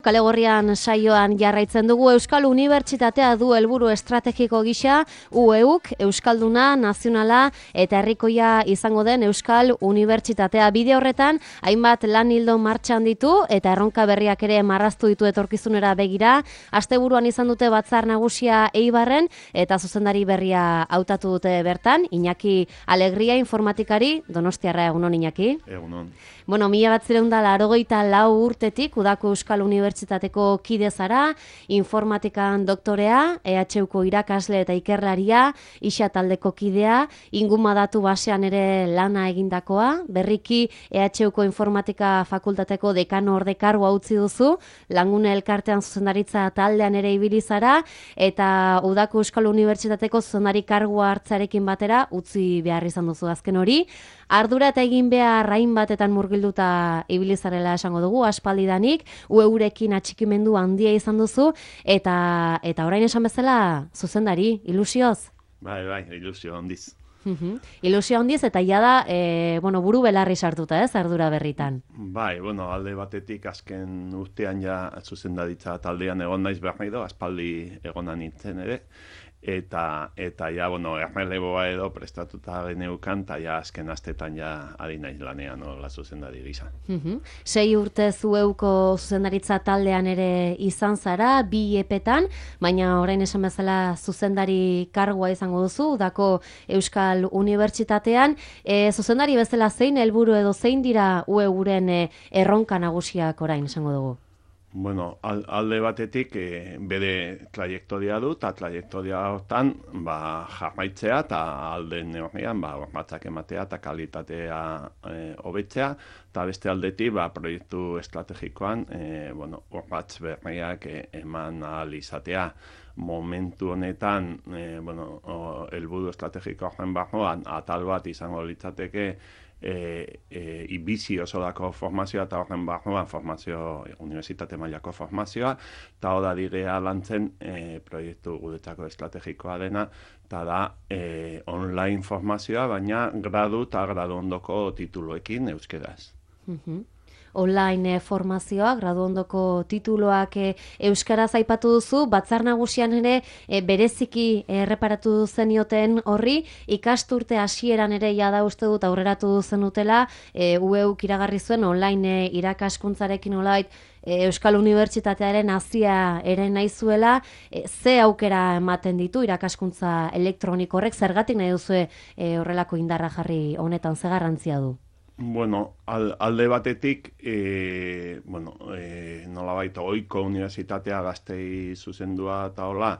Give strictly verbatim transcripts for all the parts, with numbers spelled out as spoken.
Kale Gorrian saioan jarraitzen dugu. Euskal Unibertsitatea du helburu estrategiko gisa U E U K, Euskalduna, Nazionala eta Herrikoia izango den Euskal Unibertsitatea. Bide horretan, hainbat lan ildo martxan ditu eta erronka berriak ere marraztu ditu etorkizunera begira. Asteburuan izan dute batzar nagusia Eibarren eta zuzendari berria hautatu dute bertan. Iñaki Alegria, informatikari, Donostiarra. Egunon, Iñaki. Egunon. Bueno, mila batzireun da laurogeita lau urtetik Udako Euskal Unibertsitateko kide zara, informatikan doktorea, E H Uko irakasle eta ikerlaria, isa taldeko kidea, ingumadatu basean ere lana egindakoa, berriki E H Uko informatika fakultateko dekano ordekarua utzi duzu, Langune elkartean zuzendaritza taldean ere ibili zara, eta Udako Euskal Unibertsitateko zuzendari kargua hartzarekin batera utzi behar izan duzu azken hori. Ardura eta egin behar hainbatetan murgilduta ibilizarela esango dugu, aspaldidanik, ueurekin atxikimendu handia izan duzu, eta eta orain esan bezala, zuzendari, ilusioz? Bai, bai, ilusio handiz. Uh-huh. Ilusio handiz, eta jada, e, bueno, buru belarri sartuta, ez, ardura berritan. Bai, bueno, alde batetik azken urtean ja zuzendaritza taldean egon naiz behar nahi do, aspaldi egonan nintzen ere, eta eta ja, bueno, erreleboa edo prestatuta geneukan, eta ja azken astetan ja adi naiz lanean nola zuzendari gisa. Uh-huh. Sei urte zueuko zuzendaritza taldean ere izan zara, bi epetan, baina orain esan bezala zuzendari kargua izango duzu, Udako Euskal Unibertsitatean. E, zuzendari bezala zein helburu edo zein dira ueuren e, erronka nagusiak orain esango dugu? Bueno, alde batetik e, bere trajektoria du, eta trajektoria hortan ba, jarraitzea, eta alde neurrian ba, batzak ematea eta kalitatea hobetzea, e, eta beste aldetik ba, proiektu estrategikoan e, bueno, urratz berriak e, eman ahal izatea. Momentu honetan, e, bueno, helburu estrategiko horren barruan, atal bat izango litzateke, E, e, ibizi oso dako formazioa eta horren barruan formazio, unibertsitate mailako formazioa, eta hori da direa lantzen e, proiektu guretzako estrategikoa dena, eta da e, online formazioa, baina gradu eta gradu ondoko tituluekin euskeraz. Uh-huh. Online formazioa, gradu ondoko tituloak e, euskaraz aipatu duzu, batzar nagusian ere e, bereziki erreparatu zenioten horri, ikasturte hasieran ere jada uste dut aurreratu zenutela, e, U E U K iragarri zuen online e, irakaskuntzarekin olait e, Euskal Unibertsitatearen hazia ere nahi zuela, e, ze aukera ematen ditu irakaskuntza elektroniko horrek, zergatik nahi duzu e, horrelako indarra jarri honetan, ze garrantzia du? Bueno, al, alde batetik, e, bueno, e, nolabait ohiko unibertsitatea gaztei zuzendua eta hola,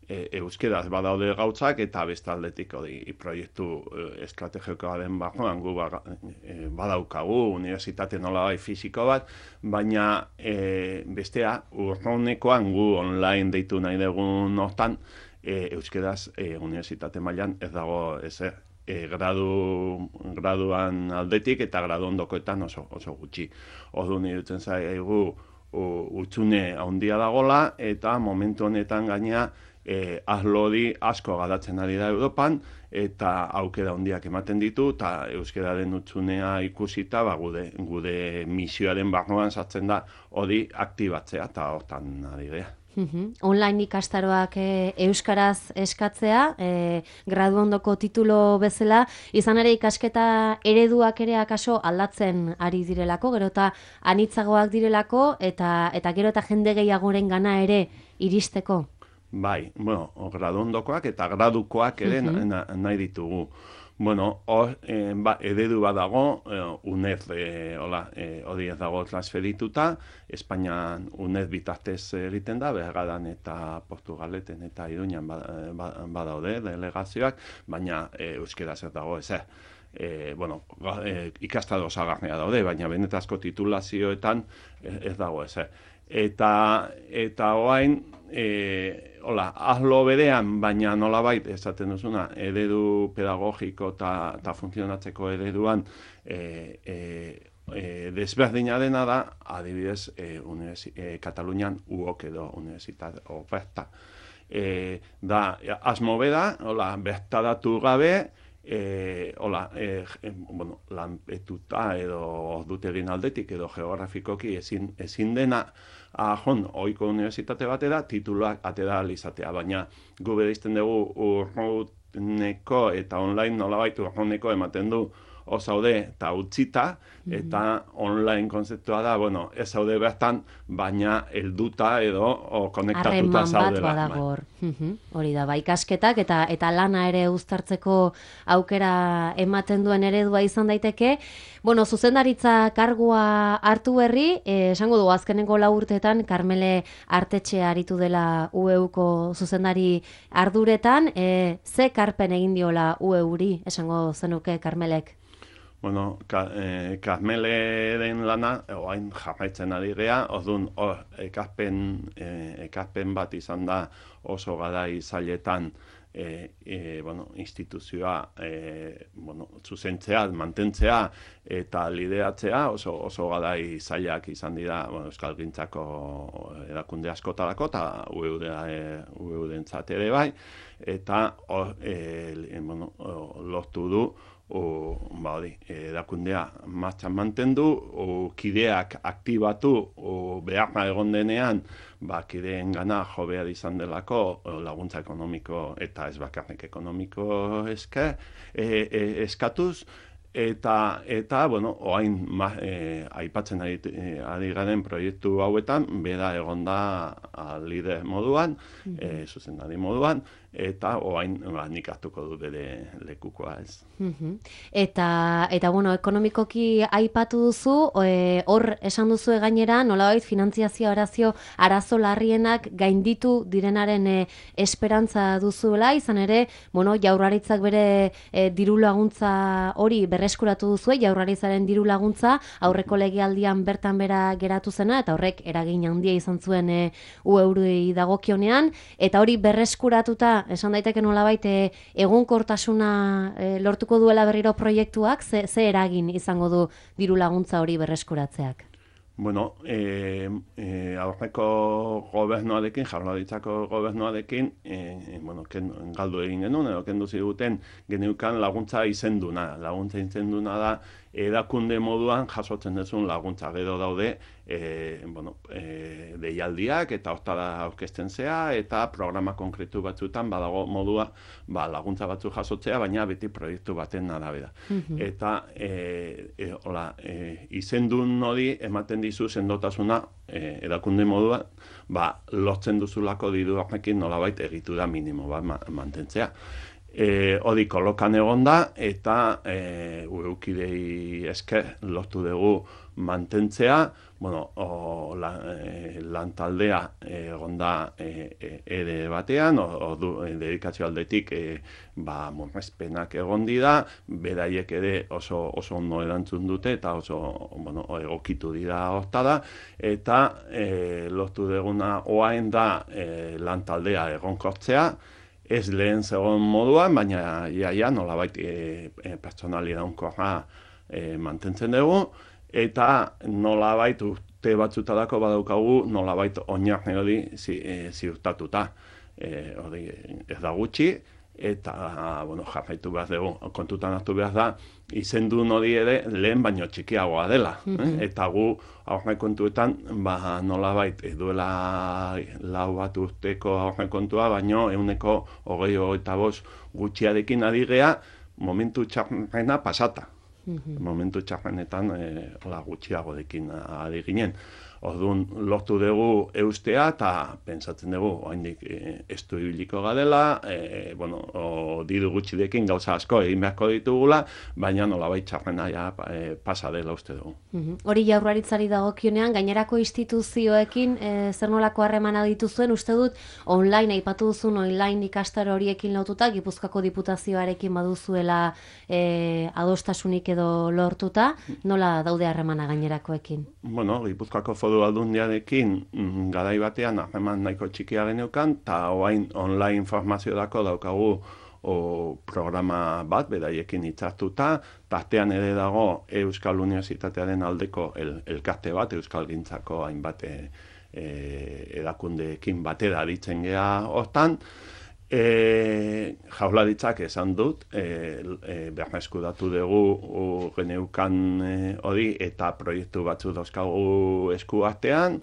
e, euskeraz badaude gautzak, eta beste aldetik hori proiektu e, estrategikoa den barruan gu ba, e, badaukagu unibertsitate nolabait fisiko bat, baina e, bestea urronekoan gu online deitu nahi dugun hortan, e, euskeraz e, unibertsitate mailan ez dago ezer. E, gradu, graduan aldetik eta gradu ondokoetan oso, oso gutxi. Orduan iruditzen zaigu utxune handia dagola, eta momentu honetan gainea e, aslodi asko garatzen ari da Europan, eta aukera handiak ematen ditu, eta euskararen utxunea ikusita ba, gude, gude misioaren barruan sartzen da hori aktibatzea, eta hortan ari dira. Uh-huh. Online ikastaroak e, euskaraz eskatzea, e, gradu ondoko titulo bezala, izan ere ikasketa ereduak ere akaso aldatzen ari direlako, gero eta anitzagoak direlako, eta, eta gero eta jende gehiagoren gana ere iristeko. Bai, bueno, gradu ondokoak eta gradukoak ere uh-huh. na, nahi ditugu. Bueno, hor, eh, ba, eredu badago, eh, UNED eh, hola, eh, hori ez dago transferituta, Espainian UNED bitartez egiten da, Bergaran eta Portugaleten eta Iruñan badaude delegazioak, baina eh, euskeraz ez dago ez. Eh, bueno, eh, ikastaro osagarria daude, baina benetazko titulazioetan ez, ez dago ez. Eta, eta oain, e, hola, ahlo berean, baina nolabait, esaten duzuna, eredu pedagogiko eta funtzionatzeko ereduan e, e, e, desberdina dena da, adibidez, e, e, Katalunian U O K edo Universitat Oferta. E, da, asmo beda, hola, bertaratu gabe, E, hola, e, bueno, lanpetuta edo dutegin aldetik edo geografikoki ezin, ezin dena ajon, ohiko unibertsitate batera tituluak atera izatea, baina gu bereizten dugu urruneko eta online nolabait urruneko ematen du o zaude eta utzita, eta online konzeptua da, bueno, ez zaude bertan, baina helduta edo o konektatuta zaudela. Harreman bat badagor. Hori da, bai ikasketak eta eta lana ere uztartzeko aukera ematen duen eredua izan daiteke. Bueno, zuzendaritza kargua hartu berri, eh, esango dugu azkenengo lau urteetan Karmele Artetxe aritu dela U E Uko zuzendari arduretan, eh, ze karpen egin diola U E Uri, esango zenuke Karmelek? Bueno, ka, eh, Karmeleren lana, oain jarraitzen ari gea, orduan oh, ekazpen, eh, ekazpen bat izan da oso garai zailetan e, e, bueno, instituzioa e, bueno, zuzentzea, mantentzea eta lideratzea oso, oso garai zailak izan dira bueno, Euskalgintzako erakunde askotarako eta U E U-dentzat ere bai, eta o, e, bueno, o, lortu du O, ba, hori, erakundea martxan mantendu, o, kideak aktibatu, o, beharra egon denean, ba, kideen gana jo behar izan delako o, laguntza ekonomiko eta ez bakarrik ekonomiko eske, e, e, eskatuz, eta, eta bueno, oain ma, e, aipatzen ari, e, ari garen proiektu hauetan, bera egon da lider moduan, mm-hmm. e, zuzendari moduan, eta oain ba, nik hartuko du bere lekukoa ez. Mm-hmm. Eta, eta bueno, ekonomikoki aipatu duzu, e, hor esan duzu gainera, nolabait finantziazio arazio arazo larrienak gainditu direnaren e, esperantza duzuela, izan ere, bueno, Jaurlaritzak bere e, diru laguntza hori berreskuratu duzue, Jaurlaritzaren diru laguntza aurreko legealdian bertan bera geratu zena, eta horrek eragin handia izan zuen e, U E Uri dagokionean, eta hori berreskuratuta esan daiteke nolabait e, egonkortasuna e, lortuko duela berriro proiektuak, ze, ze eragin izango du diru laguntza hori berreskuratzeak? Bueno, e, e, aurreko gobernuarekin, Jaurlaritzako gobernuarekin, e, bueno, ken, galdu egin genuen, edo kendu ziguten geneukan laguntza izenduna. Laguntza izenduna da, erakunde moduan jasotzen duzun laguntza. Gero daude, e, bueno, e, deialdiak eta hortara aurkezten zea, eta programa konkretu batzuetan badago modua ba, laguntza batzu jasotzea, baina beti proiektu baten arabera. Mm-hmm. Eta e, e, hola, e, izendun hori ematen dizu sendotasuna e, erakunde modua, ba, lortzen duzulako diru horrekin nolabait egitura minimo bat ma, mantentzea. E, hori kolokan egon da, eta e, ueukidei esker lortu dugu mantentzea, bueno, o, la, e, lantaldea egon da e, e, ere batean, ordu e, dedikazio aldetik e, ba, murrezpenak egon dira, beraiek ere oso, oso ondo erantzun dute, eta oso bueno, egokitu dira hortara, eta e, lortu duguna oain da e, lantaldea egonkortzea, ez lehen zegoen moduan, baina ia, ia nolabait e, e, pertsonali daunkorra e, mantentzen dugu, eta nolabait urte batzutarako badaukagu nolabait oinarri hori zi, e, ziurtatuta. E, hori ez da gutxi, eta bueno, jarraitu behar dugu, kontutan hartu behar da, izendun hori ere lehen baino txikiagoa dela. Mm-hmm. eh? Eta gu aurrekontuetan ba, nolabait duela lau bat urteko aurrekontua, baino ehuneko hogei hogeita bost gutxiarekin ari gea momentu txarrena pasata. Mm-hmm. Momentu txarrenetan e, gutxiagorekin ari ginen. Orduan lortu dugu eustea eta pentsatzen dugu oraindik e, estu ibiliko gadela, e, bueno, o, diru gutxirekin gauza asko egin beharko ditugula, baina nolabait txarrena ja e, pasa dela uste dugu. Mm-hmm. Hori Jaurlaritzari dagokionean, gainerako instituzioekin e, zer nolako harremana dituzuen, uste dut online aipatu duzun online ikastaro horiekin lotuta, Gipuzkoako Diputazioarekin baduzuela e, adostasunik edo lortuta, nola daude harremana gainerakoekin? Bueno, Gipuzkoako Foru Aldundiarekin mm, garai batean harreman nahiko txikia geneukan, eta orain online informaziorako daukagu o, programa bat, beraiekin hitzartuta, tartean ere dago Euskal Unibertsitatearen aldeko el, elkarte bat, Euskalgintzako hainbat e, e, erakundeekin batera aritzen gea hortan, E, jaularitzak esan dut, e, e, berreskuratu dugu geneukan hori eta proiektu batzu dauzkagu eskuartean,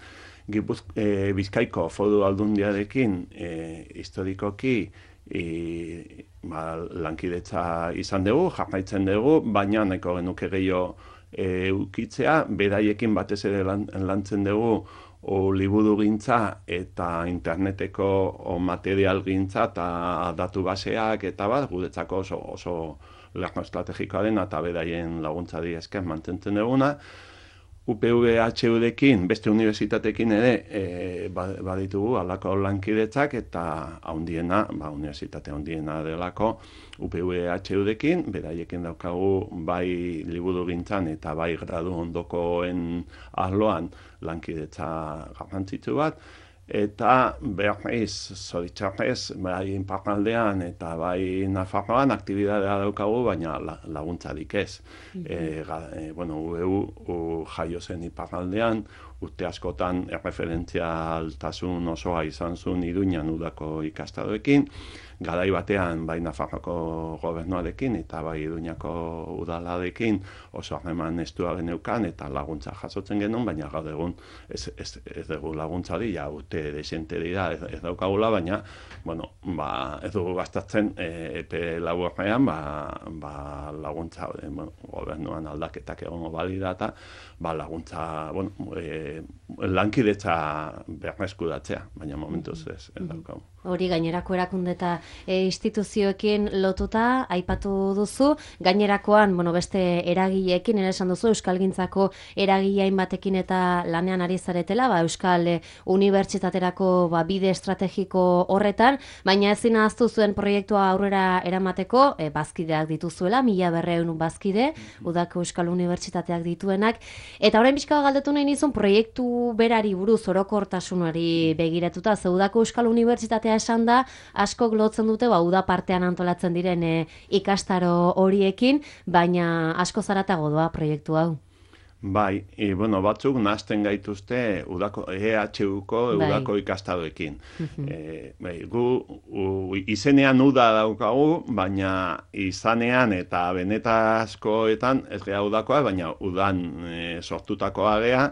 Gipuz, e, Bizkaiko foru aldundiarekin e, historikoki e, ba, lankidetza izan dugu, jarraitzen dugu, baina nahiko genuke gehiago e, ukitzea, beraiekin batez ere lan, lantzen dugu o liburu gintza eta interneteko o material gintza eta datu baseak eta bat, guretzako oso, oso lerno estrategikoa dena eta beraien laguntza di esker mantentzen duguna. U P V H U-dekin, beste unibertsitatekin ere, e, baditugu alako lankidetzak eta haundiena, ba, unibertsitate haundiena delako U P V H U-dekin, beraiekin daukagu bai liburu gintzan eta bai gradu ondokoen arloan lankidetza garrantzitsu bat, eta berriz, zoritxarrez, bai inparraldean eta bai Nafarroan aktibidadea daukagu, baina laguntzarik ez. Mm-hmm. e, ga, e, bueno, U E U jaio zen iparraldean, urte askotan erreferentzialtasun osoa izan zuen Iruñan udako ikastadoekin, garai batean bai Nafarroko gobernuarekin eta bai Iruñako udalarekin oso harreman estua geneukan eta laguntza jasotzen genuen, baina gaur egun ez, ez, ez dugu laguntzari, ja urte desente dira ez, ez daukagula, baina bueno, ba, ez dugu gastatzen e, epe laburrean ba, ba, laguntza e, bueno, gobernuan aldaketak egongo balira eta ba, laguntza bueno, e, lankidetza berreskuratzea, baina momentuz ez, ez daukagu. Hori gainerako erakunde eta e, instituzioekin lotuta aipatu duzu, gainerakoan bueno, beste eragileekin, ere esan duzu Euskalgintzako eragile hainbatekin eta lanean ari zaretela, ba, Euskal e, Unibertsitaterako ba, bide estrategiko horretan, baina ezin ahaztu zuen proiektua aurrera eramateko, e, bazkideak dituzuela, mila berreun bazkide, udako Euskal Unibertsitateak dituenak, eta orain pixka galdetu nahi nizun proiektu berari buruz orokortasunari begiratuta, ze udako Euskal Unibertsitatea esan da, askok lotzen dute, ba, uda partean antolatzen diren e, ikastaro horiekin, baina asko zaratago doa proiektu hau. Bai, e, bueno, batzuk nahazten gaituzte udako, E H U-ko udako bai. Ikastadoekin. Uh-huh. e, bai, gu u, izenean uda daukagu, baina izanean eta benetazkoetan ez gea udakoa, baina udan e, sortutakoa gea,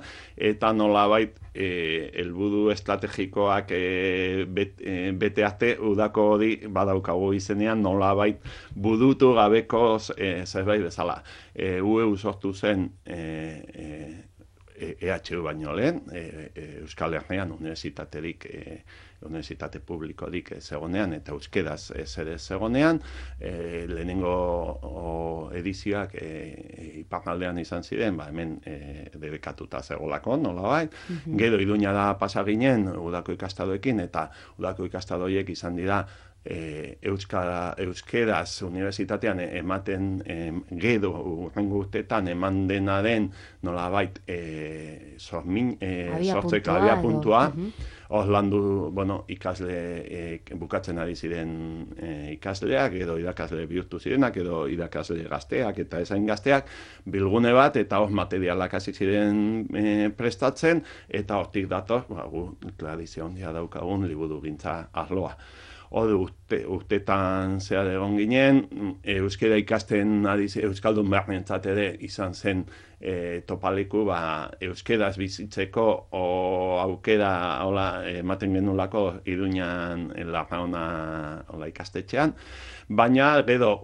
eta nolabait E, helburu estrategikoak e, bet, e, bete arte udako hori badaukagu izenean nolabait budutu gabeko e, zerbait bezala. E, U E U sortu zen e, e, E H U baino lehen, e, e, Euskal Herrian unibertsitaterik e, unibertsitate publikorik zegonean eta euskeraz ez ere zegonean, e, lehenengo o, edizioak e, iparraldean izan ziren, ba, hemen e, debekatuta zegolako, nolabait. Mm-hmm. Gero Iruñara pasa ginen udako ikastadoekin eta udako ikastadoiek izan dira E, Euskara, euskeraz unibertsitatean ematen e, gero urrengo urtetan eman denaren nolabait e, sormin, e, sortzeko abia puntua, hor uh-huh. landu bueno, ikasle e, bukatzen ari ziren e, ikasleak, edo irakasle bihurtu zirenak, edo irakasle gazteak eta ezain gazteak, bilgune bat eta hor materialak hasi ziren e, prestatzen, eta hortik dator, ba, gu tradizio handia daukagun liburugintza arloa. Hori urte, urtetan zehar egon ginen, euskera ikasten ari euskaldun beharrentzat ere izan zen e, topaleku ba, euskeraz bizitzeko o aukera hola, ematen genulako Iruñan Larraona hola, ikastetxean, baina gero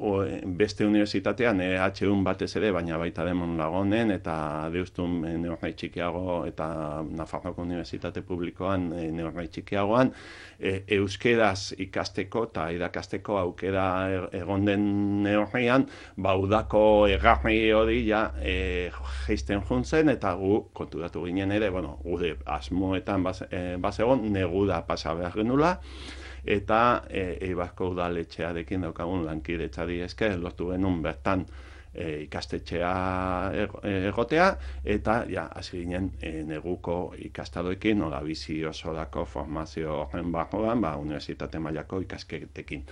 beste unibertsitatean E H U batez ere, baina baita Demon Lagonen eta Deustun e, neurrai txikiago eta Nafarroko Unibertsitate Publikoan e, neurrai txikiagoan e, euskeraz ikasteko eta irakasteko aukera egon den neurrian, ba udako egarri hori ja e, geisten juntzen eta gu konturatu ginen ere, bueno, gure asmoetan bazegon, e, neguda pasa behar genula, eta Eibarko udaletxearekin daukagun lankidetzari esker lortu genuen bertan e, ikastetxea egotea, eta ja, hasi ginen e, neguko ikastadoekin, nola bizi osorako formazio horren barruan, ba, unibertsitate mailako ikasketekin.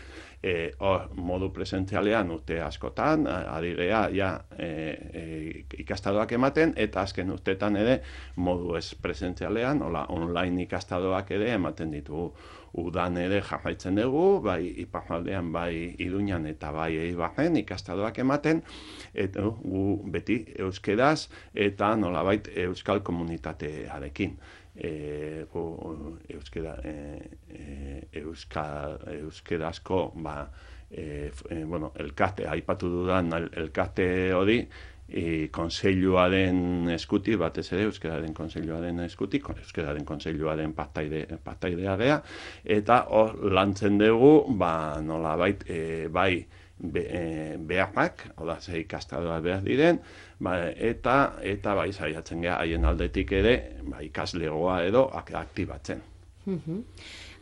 e, or, modu presentzialean urte askotan, adigea ja e, e, ikastadoak ematen, eta azken urteetan ere modu ez presentzialean, hola, online ikastadoak ere ematen ditugu. Udan ere jarraitzen dugu, bai iparraldean, bai Iruñan eta bai Eibarren ikastadoak ematen, eta gu beti euskeraz eta nolabait euskal komunitatearekin. E, gu, euskera, e, e, euskal, euskerazko ba, e, e, bueno, elkarte, aipatu dudan el, elkarte hori, E, konseiluaren eskuti, batez ere, euskararen konseiluaren eskuti, euskararen konseiluaren partaide, partaidea gea, eta hor lantzen dugu, ba, nolabait, e, bai, be, e, beharrak, oda, ze ikastadoa behar diren, ba, eta, eta bai, saiatzen gea, haien aldetik ere, ba, ikaslegoa edo aktibatzen. Mhm.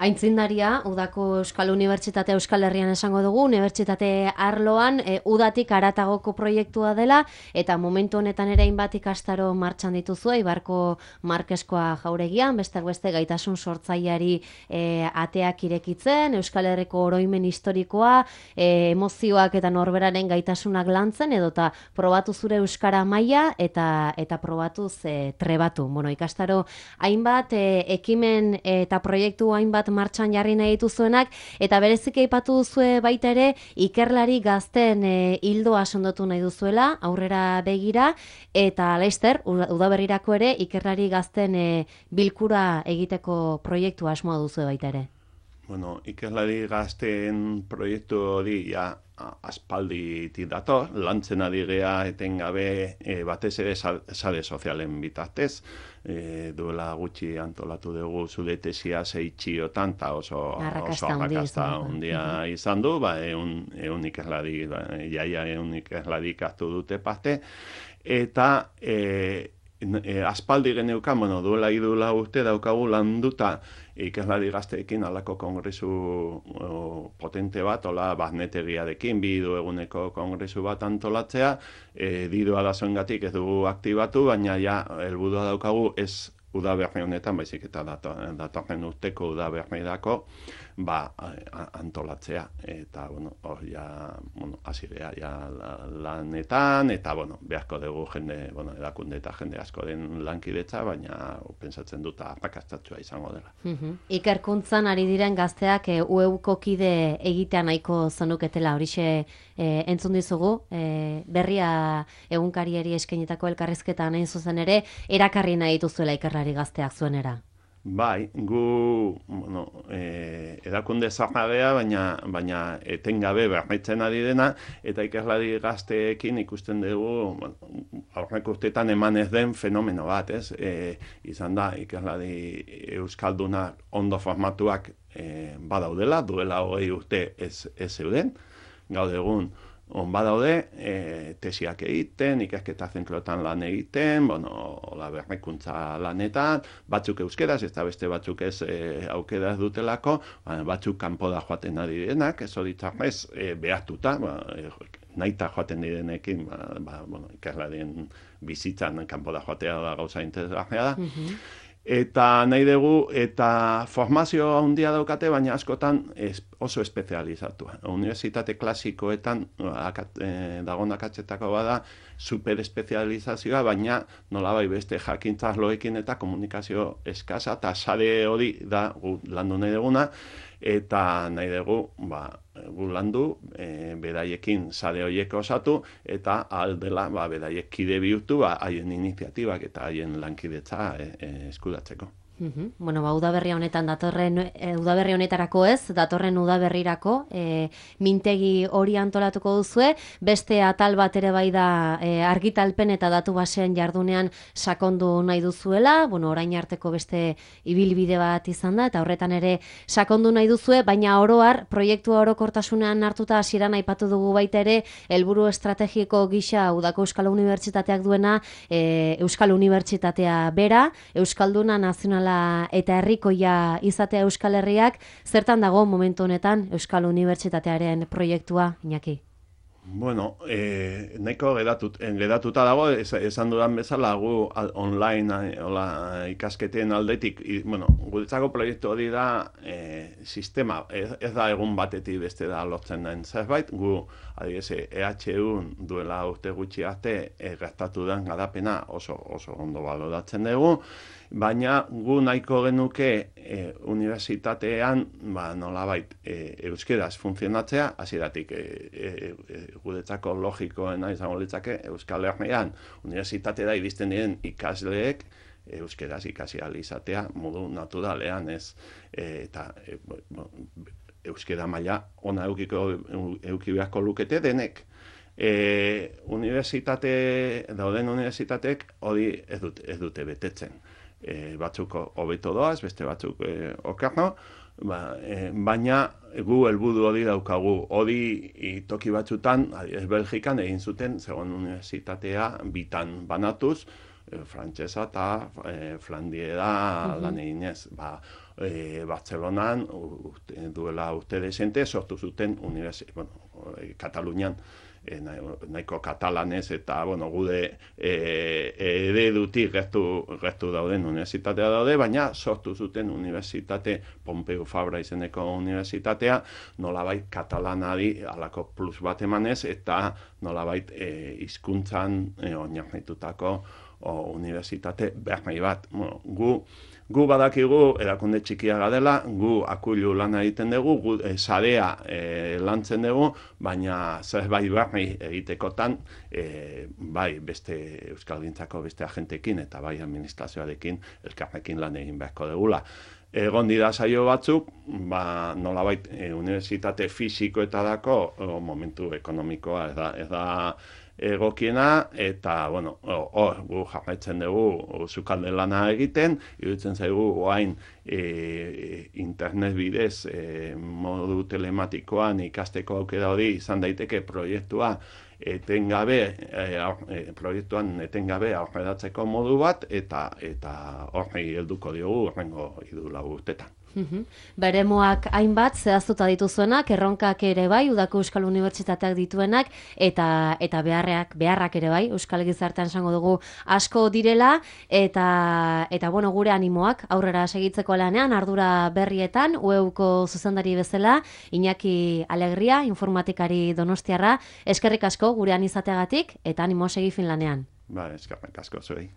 Aintzindaria, Udako Euskal Unibertsitate Euskal Herrian esango dugu, unibertsitate arloan e, udatik aratagoko proiektua dela, eta momentu honetan ere hainbat ikastaro martxan dituzu, Ibarko Markeskoa jauregian, besteak beste gaitasun sortzaileari e, ateak irekitzen, Euskal Herriko oroimen historikoa, e, emozioak eta norberaren gaitasunak lantzen, edota probatu zure euskara maila eta eta probatu ze trebatu. Bueno, ikastaro hainbat e, ekimen eta proiektu hainbat martxan jarri nahi dituzuenak, eta berezik aipatu duzue baita ere ikerlari gazten e, hildoa sondotu nahi duzuela, aurrera begira, eta laizter, udaberrirako ere ikerlari gazten e, bilkura egiteko proiektua asmoa duzue baita ere. Bueno, ikerlari gazten proiektu hori ja aspalditik dator, lantzen ari gea etengabe e, batez ere sare sozialen bitartez, e, duela gutxi antolatu dugu zure tesia zeitxiotan, eta oso arrakasta handia izan du, ba, eun, eun ikerlari, ba, jaia eun ikerlari hartu dute parte, eta e, e, aspaldi geneukan, bueno, duela idula urte daukagu landuta ikerlari gazteekin alako kongresu o, potente bat, hola baznetegiarekin, bi hiru eguneko kongresu bat antolatzea, e, diru arazoengatik ez dugu aktibatu, baina ja helburua daukagu ez udaberri honetan, baizik eta datorren urteko udaberrirako, ba, antolatzea. Eta, bueno, hor ja, bueno, azidea, ja lanetan, eta, bueno, beharko dugu jende, bueno, erakunde eta jende asko den lankidetza, baina pentsatzen dut arrakastatsua izango dela. Mm-hmm. Ikerkuntzan ari diren gazteak e, U E Uko kide egitea nahiko zonuketela, horixe e, entzun dizugu, e, berria egunkariari eskainitako elkarrizketan hain zuzen ere, erakarri nahi dituzuela ikerlari gazteak zuenera. Bai, gu, bueno, e, erakunde zarnagea, baina, baina etengabe berritzen ari dena, eta ikerlari gazteekin ikusten dugu, bueno, aurreko urteetan eman ez den fenomeno bat, ez? E, izan da, ikerlari euskaldunak ondo formatuak e, badaudela, duela hogei urte ez, ez zeuden, gaur egun, on badaude, e, tesiak egiten, ikasketa zentroetan lan egiten, bueno, la berrikuntza lanetan, batzuk euskeraz, ez da beste batzuk ez e, aukeraz dutelako, batzuk kanpora joaten ari direnak, ez hori txarrez e, behartuta, ba, e, nahita joaten direnekin, ba, ba, bueno, ikerlarien bizitzan kanpora joatea da gauza interesgarria da. Mm-hmm. Eta nahi dugu, eta formazio handia daukate, baina askotan es, oso espezializatua. Unibertsitate klasikoetan akat, eh, dagoen akatzetako bada superespezializazioa, baina nolabai beste jakintzarloekin eta komunikazio eskasa, eta sare hori da gu landu nahi duguna, eta nahi dugu, ba, gu landu, e, beraiekin sare horiek osatu, eta aldela, ba, beraiek kide bihurtu, ba, haien iniziatibak eta haien lankidetza e, e, eskuratzeko. Mm-hmm. Bueno, ba, udaberri honetan datorren, e, udaberri honetarako ez, datorren udaberrirako, e, mintegi hori antolatuko duzue, beste atal bat ere bai da e, argitalpen eta datu basean jardunean sakondu nahi duzuela, bueno, orain arteko beste ibilbide bat izan da, eta horretan ere sakondu nahi duzue, baina oroar, proiektua orokortasunean hartuta hasieran aipatu dugu baita ere, helburu estrategiko gisa Udako Euskal Unibertsitateak duena, e, Euskal Unibertsitatea bera, Euskalduna nazionala eta herrikoia izatea Euskal Herriak, zertan dago momentu honetan Euskal Unibertsitatearen proiektua, Iñaki? Bueno, eh, nahiko gedatut, gedatuta dago, ez, esan dudan bezala, gu al, online eh, ola, ikasketen aldetik, i, bueno, guretzako proiektu hori da eh, sistema, ez, ez da egun batetik beste da lotzen den zerbait, gu, adibidez, E H U duela urte gutxi arte e, gertatu den garapena oso, oso ondo baloratzen dugu, baina gu nahiko genuke e, unibertsitatean, ba, nolabait, e, euskeraz funtzionatzea, hasieratik e, e, e, guretzako logikoena izango litzake Euskal Herrian unibertsitatera iristen diren ikasleek euskeraz ikasi ahal izatea modu naturalean, ez e, eta e, bueno, euskera maila ona eukiko euki beharko lukete denek. E, unibertsitate dauden unibertsitateek hori ez dute, ez dute betetzen. E, batzuk hobeto doaz, beste batzuk e, okerno, ba, e, baina gu helburu hori daukagu. Hori toki batzutan, ez Belgikan egin zuten, segon unibertsitatea bitan banatuz, e, frantsesa eta e, flandiera uh-huh. lan eginez. Ba, e, Bartzelonan urte, duela urte desente sortu zuten unibertsitatea, bueno, e, Katalunian, E, nahiko katalanez eta bueno, gude e, eredutik gertu, gertu dauden unibertsitatea daude, baina sortu zuten unibertsitate Pompeu Fabra izeneko unibertsitatea, nolabait katalanari alako plus bat emanez eta nolabait e, hizkuntzan e, oinarritutako unibertsitate berri bat. Bueno, gu Gu badakigu erakunde txikia gadela, gu akulu lana egiten dugu, gu e, sarea e, lantzen dugu, baina zerbait berri egitekotan, e, bai beste euskalgintzako beste agentekin eta bai administrazioarekin elkarrekin lan egin beharko dugula. Egon dira saio batzuk, ba, nolabait e, unibertsitate fisikoetarako o, momentu ekonomikoa ez da, ez da egokiena, eta, bueno, hor, gu jarraitzen dugu sukalde lana egiten, iruditzen zaigu oain e, internet bidez e, modu telematikoan ikasteko aukera hori izan daiteke proiektua etengabe, e, proiektuan etengabe aurreratzeko modu bat, eta eta horri helduko diogu horrengo hiru lau urtetan. Uhum. Beremoak hainbat zehaztuta dituzuenak, erronkak ere bai, Udako Euskal Unibertsitateak dituenak, eta eta beharrak, beharrak ere bai, Euskal Gizartean esango dugu asko direla, eta eta bueno, gure animoak aurrera segitzeko lanean, ardura berrietan, U E Uko zuzendari bezala, Iñaki Alegria, informatikari donostiarra, eskerrik asko gurean izateagatik, eta animo segi fin lanean. Ba, eskerrik asko zuei.